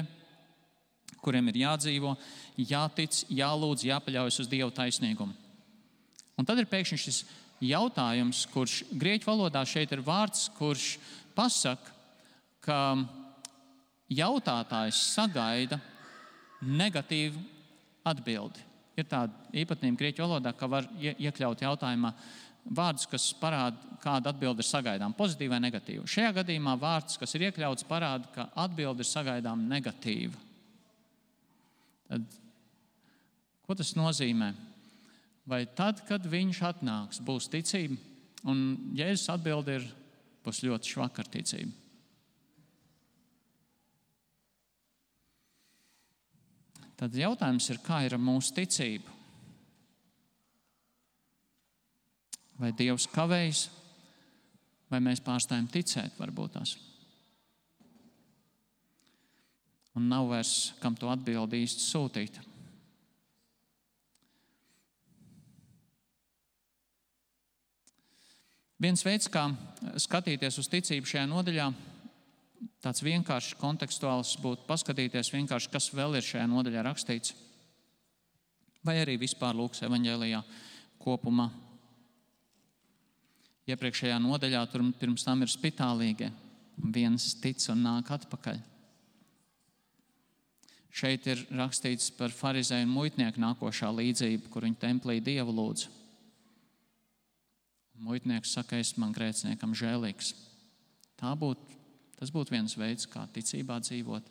kuriem ir jādzīvo, jātic, jālūdz, jāpaļaujas uz Dieva taisnīgumu. Un tad ir pēkšņi šis jautājums, kurš grieķu valodā šeit ir vārds, kurš pasaka, ka jautātājs sagaida negatīvu atbildi. Ir tāda īpatnība grieķu valodā, ka var iekļaut jautājumā vārdus, kas parāda, kāda atbilde ir sagaidām, pozitīva vai negatīva. Šajā gadījumā vārds, kas ir iekļauts, parāda, ka atbilde ir sagaidām negatīva. Tad, ko tas nozīmē? Vai tad, kad viņš atnāks, būs ticība? Un Jēzus atbilde ir, būs ļoti švaka ar ticību. Tad jautājums ir, kā ir ar mūsu ticību? Vai Dievs kavējas, vai mēs pārstājam ticēt, varbūt tās? Un nav vairs, kam to atbildi īsti sūtīt. Viens veids, kā skatīties uz ticību šajā nodaļā, tāds vienkāršs kontekstuāls būtu paskatīties vienkārši, kas vēl ir šajā nodaļā rakstīts. Vai arī vispār Lūkas evaņģēlijā kopumā. Iepriekšējā nodaļā tur pirms tam ir spitālīgie. Viens tic un nāk atpakaļ. Šeit ir rakstīts par farizēju un muitnieku nākošā līdzību, kur viņi templī Dievu lūdz. Muitnieks saka, es man grēciniekam žēlīgs. Tā būtu Tas būtu viens veids, kā ticībā dzīvot,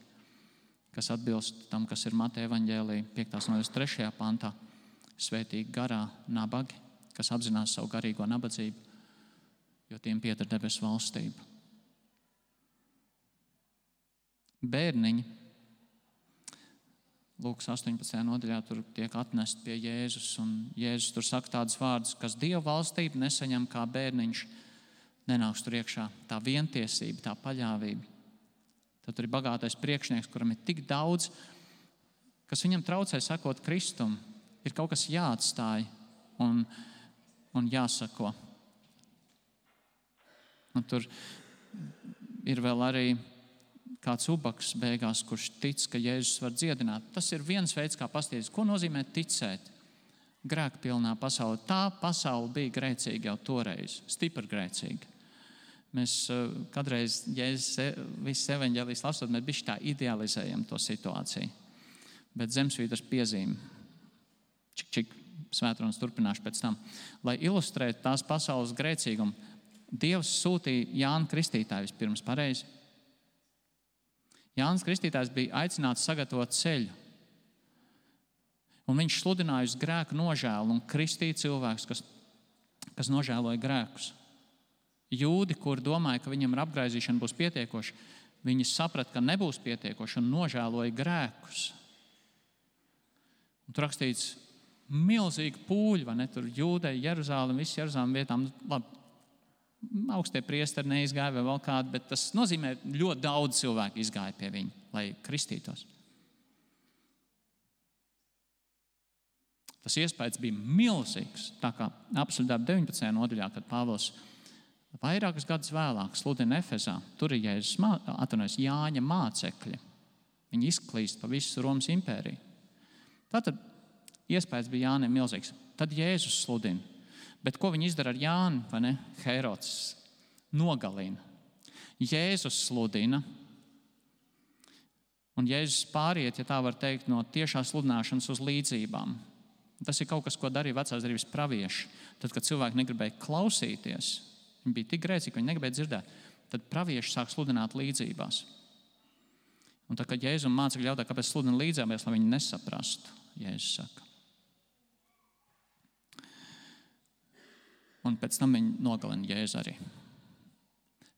kas atbilst tam, kas ir Mateja evaņģēlija piektās nodaļas trešajā pantā. Svētīgi garā nabagi, kas apzinās savu garīgo nabadzību, jo tiem pieder debesu valstība. Bērniņi, Lūkas astoņpadsmitajā nodaļā, tur tiek atnest pie Jēzus, un Jēzus tur saka tādus vārdus, kas Dieva valstību nesaņem kā bērniņš, nenāks tur iekšā. Tā vientiesība, tā paļāvība. Tad tur ir bagātais priekšnieks, kuram ir tik daudz, kas viņam traucē sekot Kristum, ir kaut kas jāatstāj un, un jāsako. Un tur ir vēl arī kāds ubaks beigās, kurš tic, ka Jēzus var dziedināt. Tas ir viens veids, kā paskatīties, ko nozīmē ticēt grēkpilnā pasaulē. Tā pasaule bija grēcīga jau toreiz, stipri grēcīga. Mēs kādreiz, Jēzus visas evaņģēlijas lasot, mēs bišķi tā idealizējam to situāciju. Bet Zemesvītras piezīme, čik, čik, svētrunas turpināšu pēc tam, lai ilustrētu tās pasaules grēcīgumu, Dievs sūtīja Jānu Kristītāju vispirms pareizi. Jānis Kristītājs bija aicināts sagatavot ceļu. Un viņš sludināja uz grēku nožēlu un kristīja cilvēkus, kas, kas nožēloja grēkus. Jūdi, kuri domāja, ka viņam ar apgraizīšanu būs pietiekoši, viņi saprata, ka nebūs pietiekoši un nožēloja grēkus. Un tur rakstīts milzīgi pūļi, vai ne? Tur Jūdeja, Jeruzālem, viss Jeruzālem vietām. Labi, augstie priesteri neizgāja vai vēl kādi, bet tas nozīmē, ļoti daudz cilvēku izgāja pie viņa, lai kristītos. Tas iespējas bija milzīgs, tā kā apsolītā deviņpadsmitajā nodaļā, kad Pāvils vairākus gadus vēlāk sludina Efezā, tur ir Jēzus, atvainojas, Jāņa mācekļi. Viņi izklīst pa visu Romas impēriju. Tātad iespējas bija Jānim milzīgs. Tad Jēzus sludina. Bet ko viņi izdara ar Jāni, vai ne? Herods nogalina. Jēzus sludina. Un Jēzus pāriet, ja tā var teikt, no tiešās sludināšanas uz līdzībām. Tas ir kaut kas, ko darīja vecās derības pravieši. Tad, kad cilvēki negribēja klausīties, viņi bija tik grēcīgi, ka viņi negribēja dzirdēt, tad pravieši sāk sludināt līdzībās. Un tad, kad Jēzus mācekļi jautā, kāpēc sludina līdzībās, lai viņi nesaprastu, Jēzus saka. Un pēc tam viņi nogalina Jēzu arī.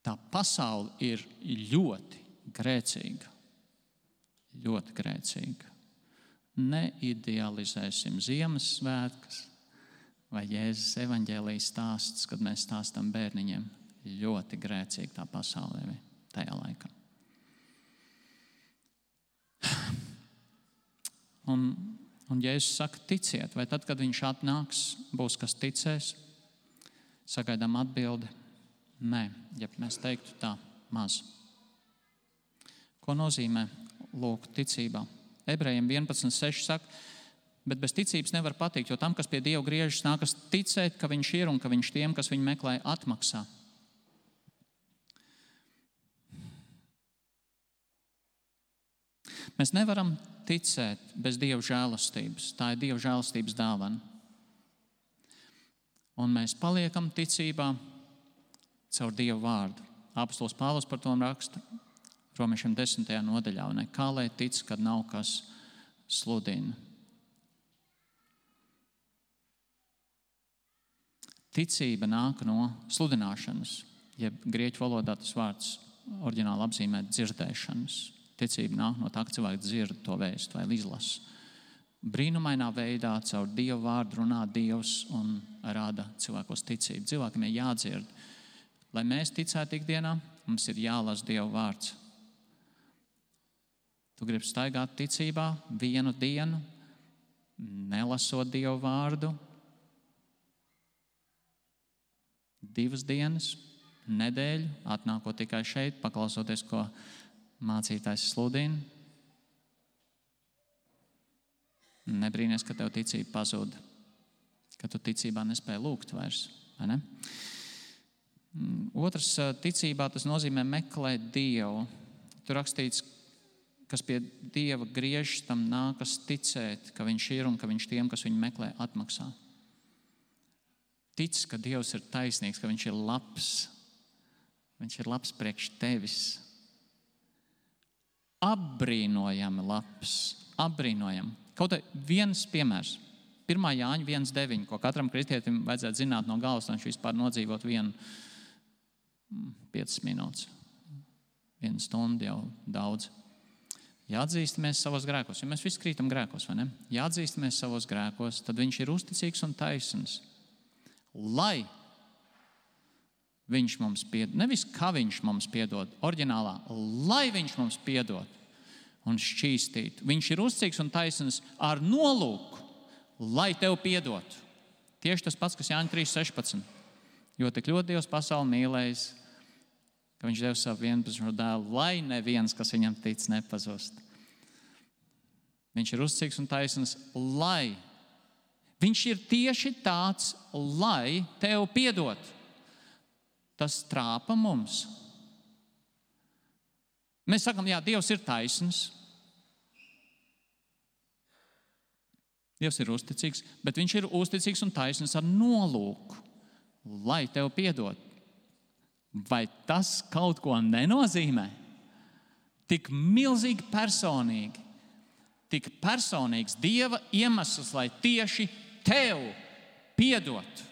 Tā pasaule ir ļoti grēcīga. Ļoti grēcīga. Neidealizēsim Ziemassvētkus vai Jēzus evaņģēlijas stāsts, kad mēs stāstam bērniņiem. Ļoti grēcīga tā pasaulē tajā laikā. Un, un Jēzus saka, ticiet, vai tad, kad viņš atnāks, būs kas ticēs? Sagaidām atbildi, nē, ja mēs teiktu tā, maz. Ko nozīmē lūgt ticībā? Ebrejiem vienpadsmit seši saka, bet bez ticības nevar patikt, jo tam, kas pie Dieva griežas, nākas ticēt, ka viņš ir un ka viņš tiem, kas viņu meklē, atmaksā. Mēs nevaram ticēt bez Dieva žēlastības. Tā ir Dieva žēlastības dāvana. Un mēs paliekam ticībā caur Dieva vārdu. Apostols Pāvils par to raksta Romiešiem desmitajā nodaļā. Ne? Kā lai tic, kad nav kas sludina? Ticība nāk no sludināšanas, jeb grieķu valodā tas vārds oriģināli apzīmē dzirdēšanas. Ticība nāk no tā, ka cilvēki dzird to vēstu vai izlasa. Brīnumainā veidā caur Dieva vārdu runā Dievs un rāda cilvēkos ticību. Cilvēkiem ir jādzird. Lai mēs ticētu ikdienā, mums ir jālasa Dieva vārds. Tu gribi staigāt ticībā vienu dienu, nelasot Dieva vārdu, divas dienas, nedēļu, atnākot tikai šeit, paklausoties, ko mācītājs sludina. Nebrīnies, ka tev ticība pazuda, ka tu ticībā nespēji lūgt vairs, vai ne? Otrs, ticībā tas nozīmē meklēt Dievu. Tur rakstīts, kas pie Dieva griežas, tam nākas ticēt, ka viņš ir un ka viņš tiem, kas viņu meklē, atmaksā. Tic, ka Dievs ir taisnīgs, ka viņš ir labs. Viņš ir labs priekš tevis. Apbrīnojami labs. Apbrīnojami. Kaut viens piemērs. pirmā Jāņa viens deviņi, ko katram kristietim vajadzētu zināt no galvas, lai viņš vispār nodzīvot vienu piecas minūtes. Vienu stundu jau daudz. Jāatzīstamies savos grēkos, jo mēs visi krītam grēkos, vai ne? Jāatzīstamies savos grēkos, tad viņš ir uzticīgs un taisns. Lai viņš mums piedod, nevis kā viņš mums piedod, oriģinālā, lai viņš mums piedod un šķīstītu. Viņš ir uzticīgs un taisns ar nolūku, lai tev piedotu. Tieši tas pats, kas Jāņa trīs sešpadsmit. Jo tik ļoti Dievs pasauli mīlējis, ka viņš deva savu vienpadsmito dēlu, lai neviens, kas viņam tic, nepazust. Viņš ir uzticīgs un taisns, lai. Viņš ir tieši tāds, lai tev piedot. Tas trāpa mums. Mēs sakam, jā, Dievs ir taisns. Dievs ir uzticīgs, bet viņš ir uzticīgs un taisns ar nolūku, lai tev piedot. Vai tas kaut ko nenozīmē? Tik milzīgi personīgi, tik personīgs Dieva iemesls, lai tieši tev piedot.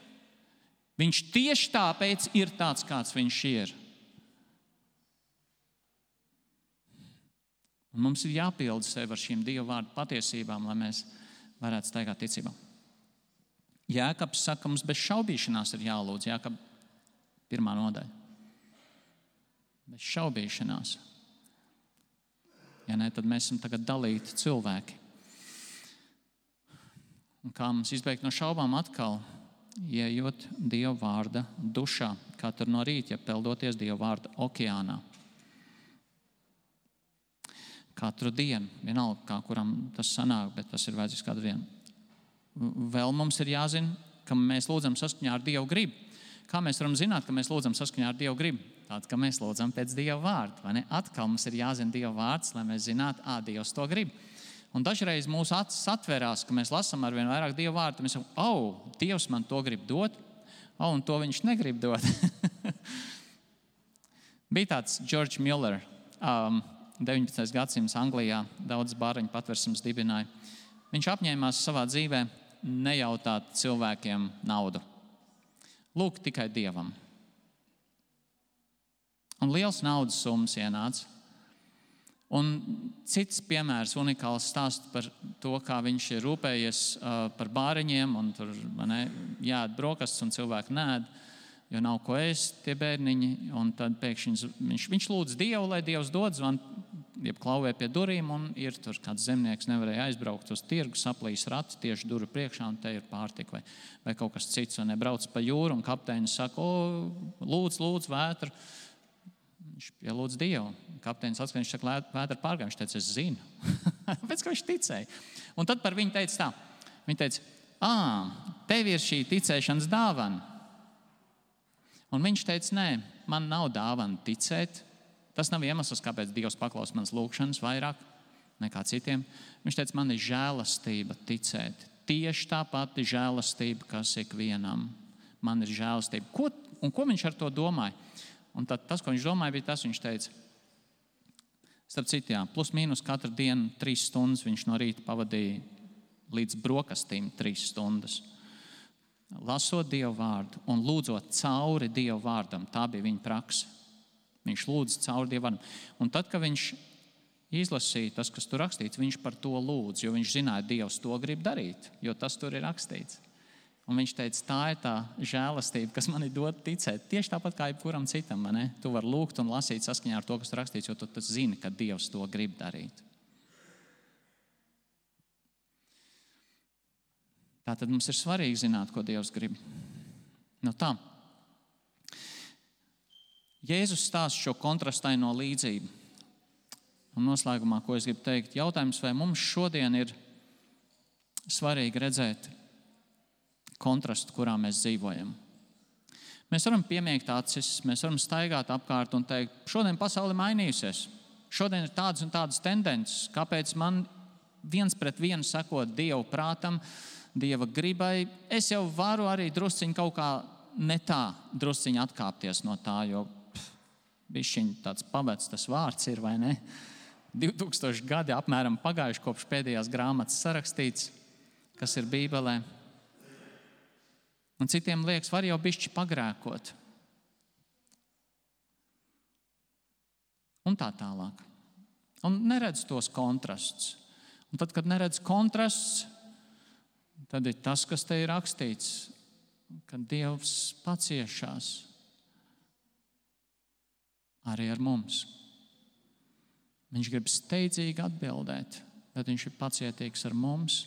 Viņš tieši tāpēc ir tāds, kāds viņš ir. Un mums ir jāpilda sevi ar šīm Dieva vārdu patiesībām, lai mēs varētu staigāt ticībā. Jēkabs saka, mums bez šaubīšanās ir jālūdz. Jēkab pirmā nodaļa. Bez šaubīšanās. Ja ne, tad mēs esam tagad dalīti cilvēki. Un kā mums izbeigt no šaubām atkal, ieejot Dieva vārda dušā, katru no rīta, ja peldoties Dieva vārda okeānā. Katru dienu, vienalga, kā kuram tas sanāk, bet tas ir vajadzīgs katru dienu. Vēl mums ir jāzina, ka mēs lūdzam saskaņā ar Dievu gribu. Kā mēs varam zināt, ka mēs lūdzam saskaņā ar Dievu gribu? Tātad, ka mēs lūdzam pēc Dieva vārda, vai ne? Atkal mums ir jāzina Dieva vārds, lai mēs zinātu, ā, Dievs to grib. Un dažreiz mūsu acis atverās, ka mēs lasām ar vien vairāk Dieva vārdu, mēs sakam, au, Dievs man to grib dot, au, un to viņš negrib dot. Bija tāds George Muller, um, deviņpadsmitais gadsimts Anglijā, daudz bāriņu patversmes dibināja. Viņš apņēmās savā dzīvē nejautāt cilvēkiem naudu. Lūk tikai Dievam. Un liels naudas summas ienāca. Un cits piemērs, unikāls stāsts par to, kā viņš ir rūpējies uh, par bāriņiem, un tur ne, jāēd brokastis, un cilvēki nēd, jo nav ko ēst tie bērniņi. Un tad pēkšņi viņš, viņš lūdz Dievu, lai Dievs dod, zvan, jeb klauvē pie durīm, un ir tur kāds zemnieks nevarēja aizbraukt uz tirgu, saplīs rats tieši duru priekšā, un te ir pārtika vai, vai kaut kas cits, un nebrauc pa jūru, un kapteinis saka, o, lūdz, lūdz, vētru. Viņš pielūdz Dievu. Kapteinis atskatās, viņš saka, vētra pārgāja. Viņš teica, es zinu. Pēc kā viņš ticēja. Un tad par viņu teica tā. Viņa teica, ā, tev ir šī ticēšanas dāvana. Un viņš teica, nē, man nav dāvana ticēt. Tas nav iemesls, kāpēc Dievs paklaus manas lūgšanas vairāk nekā citiem. Viņš teica, man ir žēlastība ticēt. Tieši tā pati žēlastība, kas ikvienam. Man ir žēlastība. Ko, un ko viņš ar to domāja? Un tad tas, ko viņš domāja, bija tas, viņš teica, starp citu, jā, plus mīnus katru dienu trīs stundas viņš no rīta pavadīja līdz brokastīm trīs stundas. Lasot Dievu vārdu un lūdzot cauri Dievu vārdam, tā bija viņa prakse. Viņš lūdz cauri Dievu vārdam. Un tad, kad viņš izlasīja tas, kas tur rakstīts, viņš par to lūdz, jo viņš zināja, Dievs to grib darīt, jo tas tur ir rakstīts. Un viņš teica, tā ir tā žēlastība, kas man ir dot ticēt. Tieši tāpat kā jebkuram citam, ne? Tu vari lūgt un lasīt saskaņā ar to, kas tur rakstīts, jo tu tas zini, ka Dievs to grib darīt. Tātad mums ir svarīgi zināt, ko Dievs grib. Nu tā. Jēzus stāsta šo kontrastaino līdzību. Un noslēgumā, ko es gribu teikt, jautājums, vai mums šodien ir svarīgi redzēt kontrastu, kurā mēs dzīvojam. Mēs varam piemiegt acis, mēs varam staigāt apkārt un teikt, šodien pasaule mainījusies. Šodien ir tādas un tādas tendences, kāpēc man viens pret vienu sekot Dievu prātam, Dieva gribai. Es jau varu arī drusciņ kaut kā ne tā drusciņ atkāpties no tā, jo pff, bišķiņ tāds pavecs tas vārds ir, vai ne? divi tūkstoši gadi apmēram pagājuši kopš pēdējās grāmatas sarakstīts, kas ir Bībelē. Un citiem liekas, var jau bišķi pagrēkot. Un tā tālāk. Un neredz tos kontrastus. Un tad, kad neredz kontrasts, tad ir tas, kas te ir rakstīts, ka Dievs paciešās arī ar mums. Viņš grib steidzīgi atbildēt, bet viņš ir pacietīgs ar mums.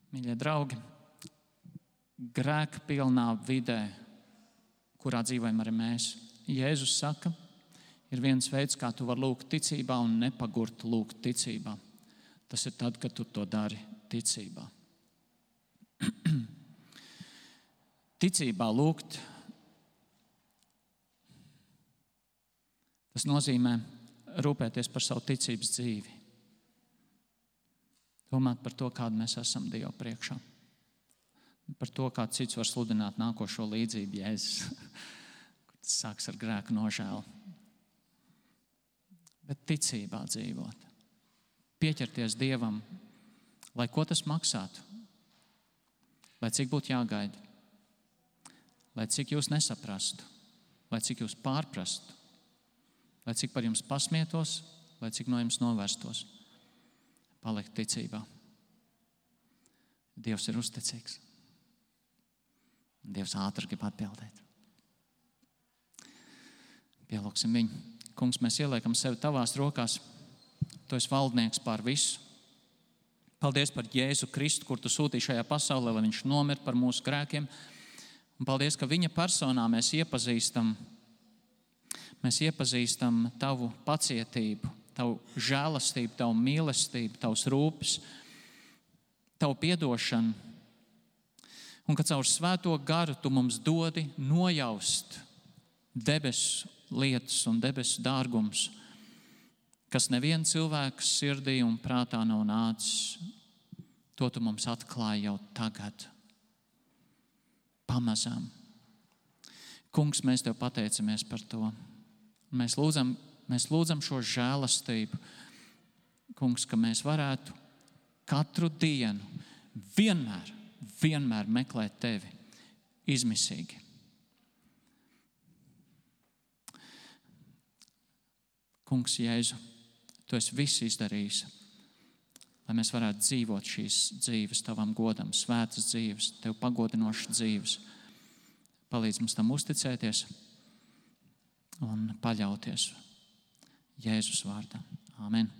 Mīļie draugi, grēkpilnā vidē, kurā dzīvojam arī mēs, Jēzus saka, ir viens veids, kā tu vari lūgt ticībā un nepagurt lūgt ticībā. Tas ir tad, kad tu to dari ticībā. Ticībā lūgt, tas nozīmē rūpēties par savu ticības dzīvi. Domāt par to, kādu mēs esam Dievu priekšā. Par to, kā cits var sludināt nākošo līdzību Jēzus. Tas sāks ar grēku nožēlu. Bet ticībā dzīvot. Pieķerties Dievam, lai ko tas maksātu. Lai cik būtu jāgaida. Lai cik jūs nesaprastu. Lai cik jūs pārprastu. Lai cik par jums pasmietos. Lai cik no jums novērstos. Palikt ticībā. Dievs ir uzticīgs. Dievs ātri grib atbildēt. Pielūksim viņu. Kungs, mēs ieliekam sevi tavās rokās. Tu esi valdnieks pār visu. Paldies par Jēzu Kristu, kur tu sūtīji šajā pasaulē, lai viņš nomir par mūsu grēkiem. Un paldies, ka viņa personā mēs iepazīstam, mēs iepazīstam tavu pacietību, tavu žēlastību, tavu mīlestību, tavus rūpes, tavu piedošanu. Un ka caur svēto garu tu mums dodi nojaust debesu lietas un debesu dārgums, kas neviena cilvēka sirdī un prātā nav nācis. To tu mums atklāji jau tagad. Pamazām. Kungs, mēs tev pateicamies par to. Mēs lūdzam, mēs lūdzam šo žēlastību, Kungs, ka mēs varētu katru dienu vienmēr, vienmēr meklēt tevi izmisīgi. Kungs, Jēzu, tu esi viss izdarījis, lai mēs varētu dzīvot šīs dzīves tavam godam, svētas dzīves, tev pagodinošas dzīves. Palīdz mums tam uzticēties un paļauties Jēzus vārdā. Āmen.